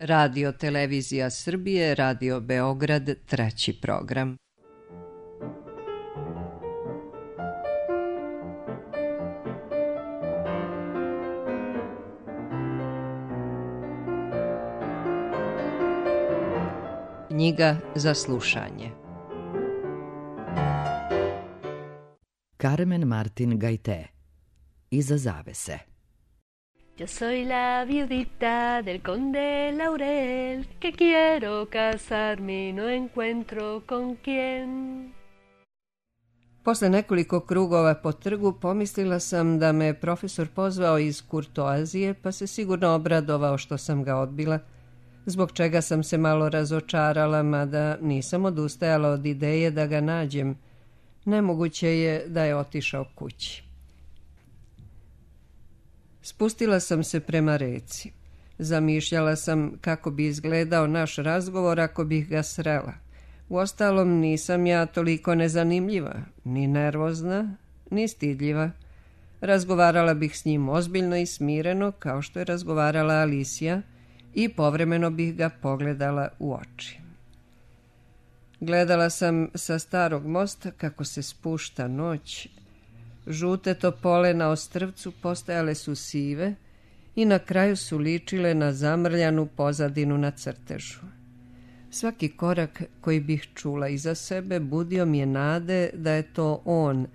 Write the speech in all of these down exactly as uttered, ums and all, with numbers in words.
Radio Televizija Srbije, Radio Beograd, treći program. Knjiga za slušanje. Carmen Martin Gaité. Iza zavese. Yo soy la viudita del conde Laurel, que quiero casarme y no encuentro con quién. Posle nekoliko krugova po trgu pomislila sam da me profesor pozvao iz kurtoazije, pa se sigurno obradovao što sam ga odbila, zbog čega sam se malo razočarala, mada nisam odustajala od ideje da ga nađem. Nemoguće je da je otišao kući. Spustila sam se prema reci. Zamišljala sam kako bi izgledao naš razgovor ako bih ga srela. Uostalom, nisam ja toliko nezanimljiva, ni nervozna, ni stidljiva. Razgovarala bih s njim ozbiljno i smireno, kao što je razgovarala Alicija, i povremeno bih ga pogledala u oči. Gledala sam sa starog mosta kako se spušta noć. Žute topole na ostrvcu postajale su sive i na kraju su ličile na zamrljanu pozadinu na crtežu. Svaki korak koji bih čula iza sebe budio mi je nade da je to on,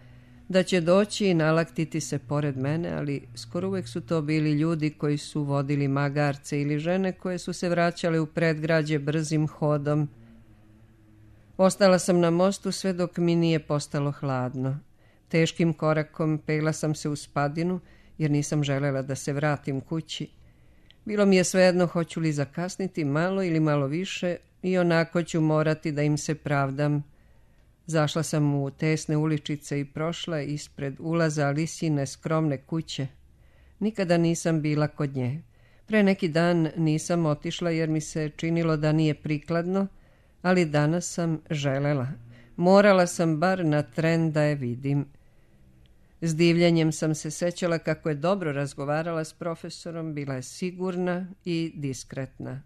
da će doći i nalaktiti se pored mene, ali skoro uvek su to bili ljudi koji su vodili magarce ili žene koje su se vraćale u predgrađe brzim hodom. Ostala sam na mostu sve dok mi nije postalo hladno. Teškim korakom pegla sam se u spadinu, jer nisam želela da se vratim kući. Bilo mi je svejedno hoću li zakasniti malo ili malo više i onako ću morati da im se pravdam. Zašla sam u tesne uličice i prošla ispred ulaza Alisine skromne kuće. Nikada nisam bila kod nje. Pre neki dan nisam otišla jer mi se činilo da nije prikladno, ali danas sam želela. Morala sam bar na tren da je vidim. S divljenjem sam se sećala kako je dobro razgovarala s profesorom, bila je sigurna i diskretna.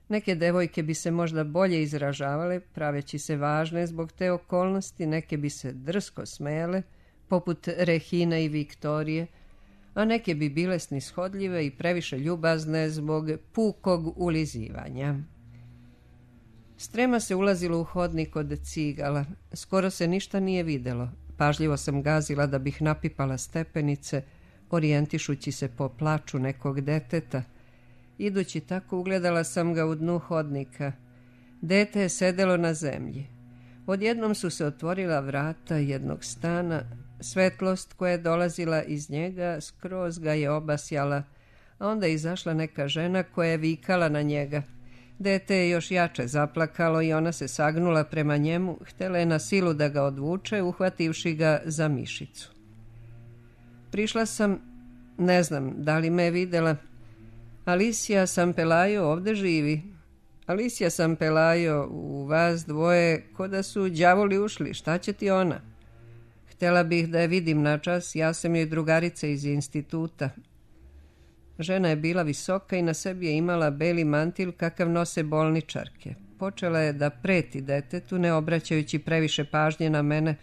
Neke devojke bi se možda bolje izražavale, praveći se važne zbog te okolnosti, neke bi se drsko smejale, poput Rehine i Viktorije, a neke bi bile snishodljive i previše ljubazne zbog pukog ulizivanja. Strema se ulazilo u hodnik od cigala. Skoro se ništa nije videlo. Pažljivo sam gazila da bih napipala stepenice, orijentišući se po plaču nekog deteta. Idući tako ugledala sam ga u dnu hodnika. Dete je sedelo na zemlji. Odjednom su se otvorila vrata jednog stana. Svetlost koja je dolazila iz njega skroz ga je obasjala, a onda je izašla neka žena koja je vikala na njega. Dete je još jače zaplakalo i ona se sagnula prema njemu, htela je na silu da ga odvuče, uhvativši ga za mišicu. Prišla sam, ne znam da li me je videla. Alicija Sampelajo ovde živi. Alicija Sampelajo, u vas dvoje, ko da su đavoli ušli, šta će ti ona? Htela bih da je vidim na čas, ja sam joj drugarica iz instituta. Žena je bila visoka i na sebi je imala beli mantil kakav nose bolničarke. Počela je da preti detetu, ne obraćajući previše pažnje na mene.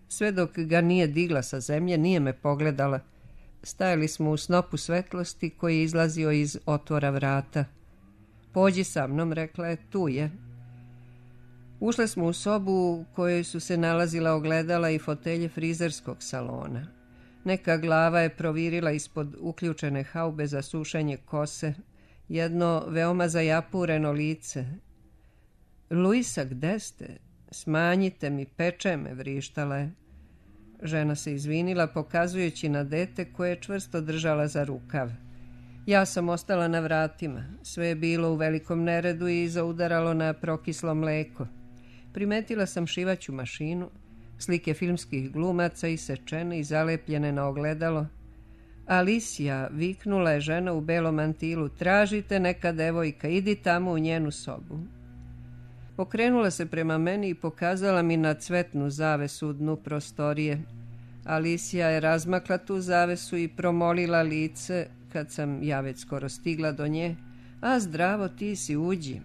Sve dok ga nije digla sa zemlje, nije me pogledala. Stajali smo u snopu svetlosti koji je izlazio iz otvora vrata. Pođi sa mnom, rekla je, tu je. Ušle smo u sobu u kojoj su se nalazila ogledala i fotelje frizerskog salona. Neka glava je provirila ispod uključene haube za sušenje kose, jedno veoma zajapureno lice. Luisa, gde ste? Smanjite mi, peče me, vrištala je. Žena se izvinila, pokazujući na dete koje je čvrsto držala za rukav. Ja sam ostala na vratima. Sve je bilo u velikom neredu i zaudaralo na prokislo mleko. Primetila sam šivaću mašinu, slike filmskih glumaca isečene i zalepljene na ogledalo. Alicija, viknula je žena u belom mantilu, tražite neka devojka, idi tamo u njenu sobu. Okrenula se prema meni i pokazala mi na cvetnu zavesu u dnu prostorije. Alicija je razmakla tu zavesu i promolila lice, kad sam ja već skoro stigla do nje, A zdravo, ti si, uđi.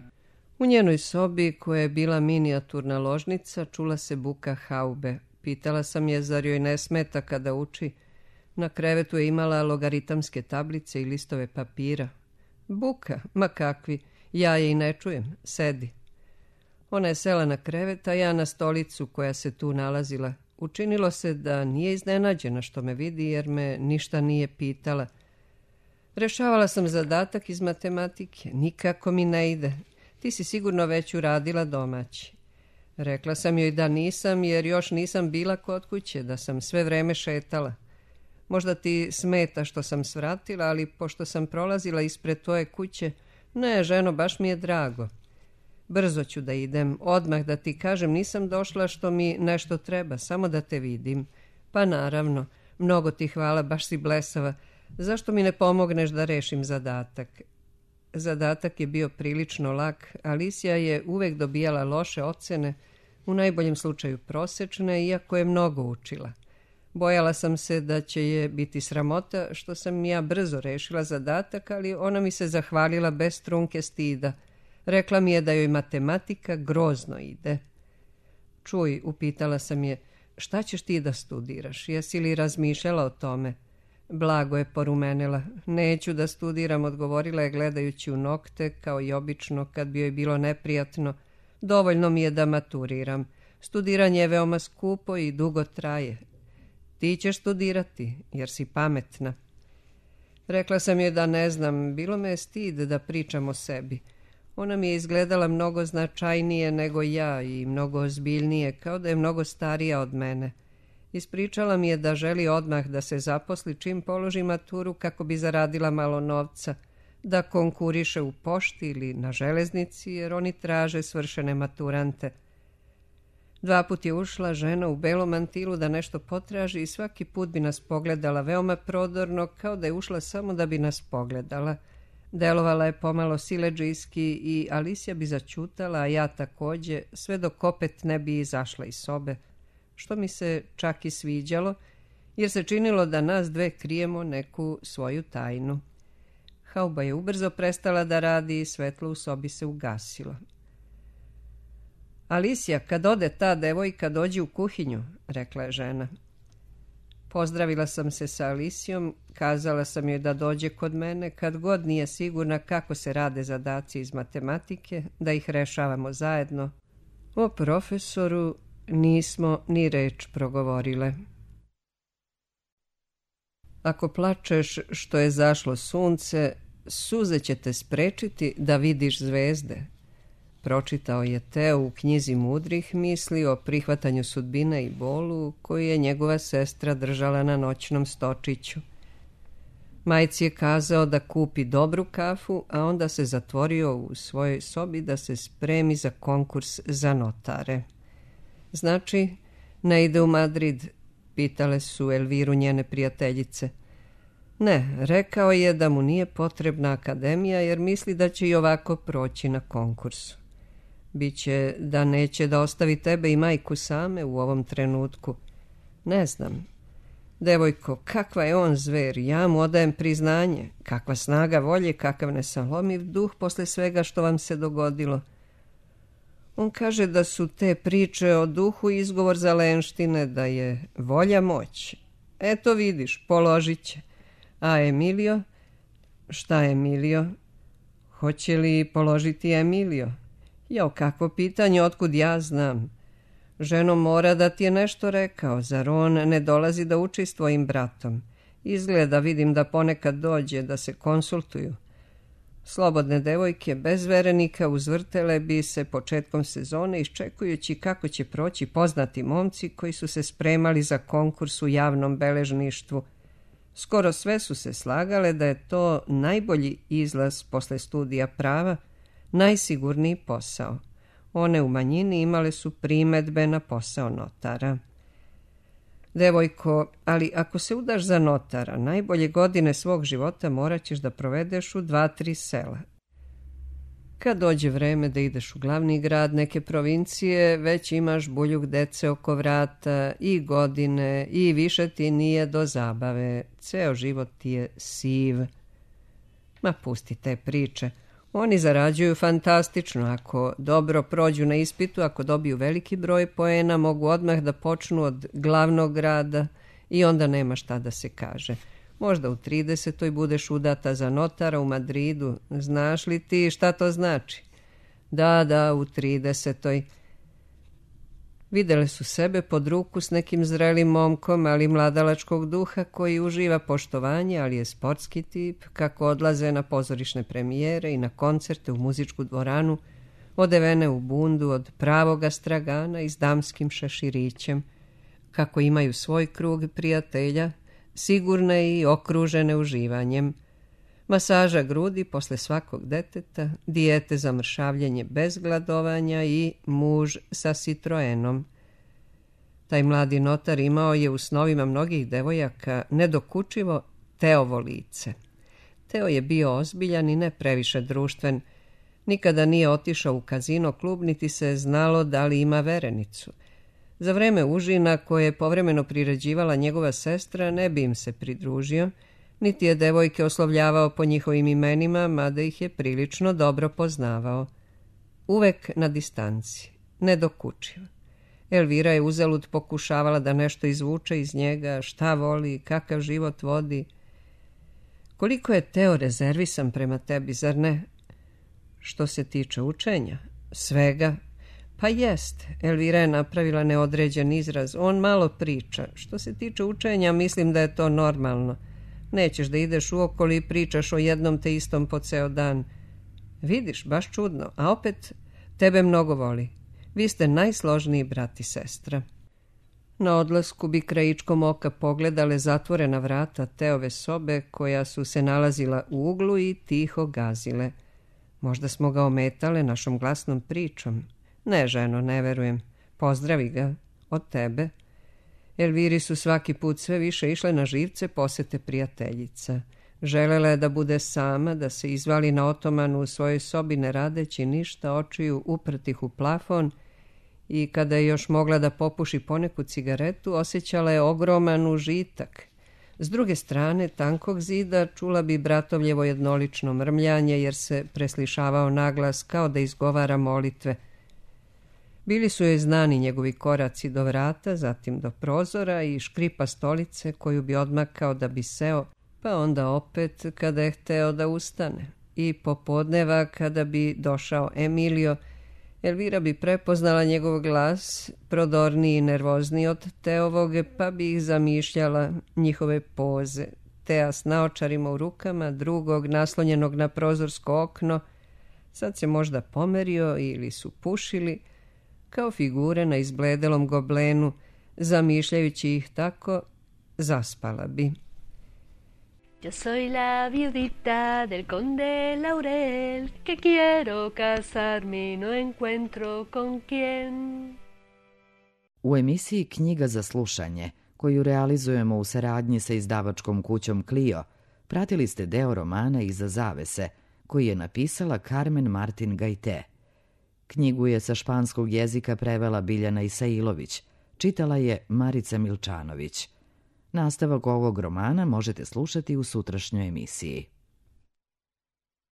U njenoj sobi, koja je bila minijaturna ložnica, čula se buka haube. Pitala sam je zar joj ne smeta kada uči. Na krevetu je imala logaritamske tablice i listove papira. Buka, ma kakvi, ja je i ne čujem, sedi. Ona je sela na krevet, a ja na stolicu koja se tu nalazila. Učinilo se da nije iznenađena što me vidi, jer me ništa nije pitala. Rešavala sam zadatak iz matematike. Nikako mi ne ide. Ti si sigurno već uradila domaći. Rekla sam joj da nisam, jer još nisam bila kod kuće, da sam sve vreme šetala. Možda ti smeta što sam svratila, ali pošto sam prolazila ispred tvoje kuće, ne, ženo, baš mi je drago. Brzo ću da idem, odmah da ti kažem, nisam došla što mi nešto treba, samo da te vidim. Pa naravno, mnogo ti hvala, baš si blesava. Zašto mi ne pomogneš da rešim zadatak? Zadatak je bio prilično lak. Alicija je uvek dobijala loše ocene, u najboljem slučaju prosečne, iako je mnogo učila. Bojala sam se da će je biti sramota što sam ja brzo rešila zadatak, ali ona mi se zahvalila bez trunke stida. Rekla mi je da joj matematika grozno ide. Čuj, upitala sam je, šta ćeš ti da studiraš? Jesi li razmišljala o tome? Blago je porumenila. Neću da studiram, odgovorila je gledajući u nokte, kao i obično kad bi joj bilo neprijatno. Dovoljno mi je da maturiram. Studiranje je veoma skupo i dugo traje. Ti ćeš studirati, jer si pametna. Rekla sam joj da ne znam, bilo me je stid da pričam o sebi. Ona mi je izgledala mnogo značajnije nego ja i mnogo ozbiljnije, kao da je mnogo starija od mene. Ispričala mi je da želi odmah da se zaposli čim položi maturu kako bi zaradila malo novca, da konkuriše u pošti ili na železnici, jer oni traže svršene maturante. Dva put je ušla žena u belom mantilu da nešto potraži i svaki put bi nas pogledala veoma prodorno, kao da je ušla samo da bi nas pogledala. Delovala je pomalo siledžijski i Alicija bi začutala, a ja takođe, sve dok opet ne bi izašla iz sobe, što mi se čak i sviđalo, jer se činilo da nas dve krijemo neku svoju tajnu. Hauba je ubrzo prestala da radi i svetlo u sobi se ugasilo. Alicija, kad ode ta devojka, dođi u kuhinju, rekla je žena. Pozdravila sam se sa Alicijom, kazala sam joj da dođe kod mene kad god nije sigurna kako se rade zadaci iz matematike, da ih rešavamo zajedno. O profesoru nismo ni reč progovorile. Ako plačeš što je zašlo sunce, suze će te sprečiti da vidiš zvezde. Pročitao je Teo u knjizi mudrih misli o prihvatanju sudbine i bolu koju je njegova sestra držala na noćnom stočiću. Majci je kazao da kupi dobru kafu, a onda se zatvorio u svojoj sobi da se spremi za konkurs za notare. Znači, ne ide u Madrid, pitale su Elviru njene prijateljice. Ne, rekao je da mu nije potrebna akademija jer misli da će i ovako proći na konkursu. Biće da neće da ostavi tebe i majku same u ovom trenutku. Ne znam. Devojko, kakva je on zver, ja mu odajem priznanje. Kakva snaga volje, kakav nesalomiv duh posle svega što vam se dogodilo. On kaže da su te priče o duhu izgovor za lenštine, da je volja moć. Eto vidiš, položit će. A Emilio? Šta Emilio? Hoće li položiti Emilio? Jo, kakvo pitanje, otkud ja znam? Ženo, mora da ti je nešto rekao, zar on ne dolazi da uči s tvojim bratom? Izgleda, vidim da ponekad dođe da se konsultuju. Slobodne devojke bez verenika uzvrtele bi se početkom sezone iščekujući kako će proći poznati momci koji su se spremali za konkurs u javnom beležništvu. Skoro sve su se slagale da je to najbolji izlaz posle studija prava, najsigurniji posao. One u manjini imale su primedbe na posao notara. Devojko, ali ako se udaš za notara, najbolje godine svog života morat ćeš da provedeš u dva, tri sela. Kad dođe vreme da ideš u glavni grad neke provincije, već imaš buljuk dece oko vrata i godine i više ti nije do zabave. Ceo život ti je siv. Ma pusti te priče. Oni zarađuju fantastično. Ako dobro prođu na ispitu, ako dobiju veliki broj poena, mogu odmah da počnu od glavnog grada i onda nema šta da se kaže. Možda u tridesetoj budeš udata za notara u Madridu. Znaš li ti šta to znači? Da, da, u tridesetoj. Videle su sebe pod ruku s nekim zrelim momkom, ali mladalačkog duha koji uživa poštovanje, ali je sportski tip, kako odlaze na pozorišne premijere i na koncerte u muzičku dvoranu, odevene u bundu od pravoga stragana i s damskim šeširićem, kako imaju svoj krug prijatelja, sigurne i okružene uživanjem, masaža grudi posle svakog deteta, dijete za mršavljenje bez gladovanja i muž sa Citroenom. Taj mladi notar imao je u snovima mnogih devojaka nedokučivo Teovo lice. Teo je bio ozbiljan i ne previše društven. Nikada nije otišao u kazino klub, niti se znalo da li ima verenicu. Za vreme užina koje je povremeno priređivala njegova sestra ne bi im se pridružio, niti je devojke oslovljavao po njihovim imenima, mada ih je prilično dobro poznavao. Uvek na distanci, nedokučiv. Elvira je uzalud pokušavala da nešto izvuče iz njega, šta voli, kakav život vodi. Koliko je Teo rezervisan prema tebi, zar ne? Što se tiče učenja, svega. Pa jest, Elvira je napravila neodređen izraz, on malo priča. Što se tiče učenja, mislim da je to normalno. Nećeš da ideš uokolo i pričaš o jednom te istom po ceo dan. Vidiš, baš čudno, a opet tebe mnogo voli. Vi ste najsložniji brat i sestra. Na odlasku bi krajičkom oka pogledale zatvorena vrata Teove sobe, koja su se nalazila u uglu i tiho gazile. Možda smo ga ometale našom glasnom pričom. Ne, ženo, ne verujem. Pozdravi ga od tebe. Elviri su svaki put sve više išle na živce posete prijateljica. Želela je da bude sama, da se izvali na otomanu u svojoj sobi ne radeći ništa, očiju uprtih u plafon, i kada je još mogla da popuši poneku cigaretu, osjećala je ogroman užitak. S druge strane tankog zida čula bi bratovljevo jednolično mrmljanje, jer se preslišavao naglas kao da izgovara molitve. Bili su joj znani njegovi koraci do vrata, zatim do prozora i škripa stolice koju bi odmakao da bi seo, pa onda opet kada je hteo da ustane. I popodneva kada bi došao Emilio, Elvira bi prepoznala njegov glas, prodorniji i nervozniji od Teovog, pa bi ih zamišljala, njihove poze. Tea s naočarima u rukama, drugog naslonjenog na prozorsko okno, sad se možda pomerio ili su pušili, kao figure na izbledelom goblenu, zamišljajući ih tako, zaspala bi. Yo soy la viudita del conde Laurel, que quiero casarme y no encuentro con quién. U emisiji Knjiga za slušanje, koju realizujemo u saradnji sa izdavačkom kućom Clio, pratili ste deo romana Iza zavese, koji je napisala Carmen Martin Gajte. Knjigu je sa španskog jezika prevela Biljana Isailović, čitala je Marica Milčanović. Nastavak ovog romana možete slušati u sutrašnjoj emisiji.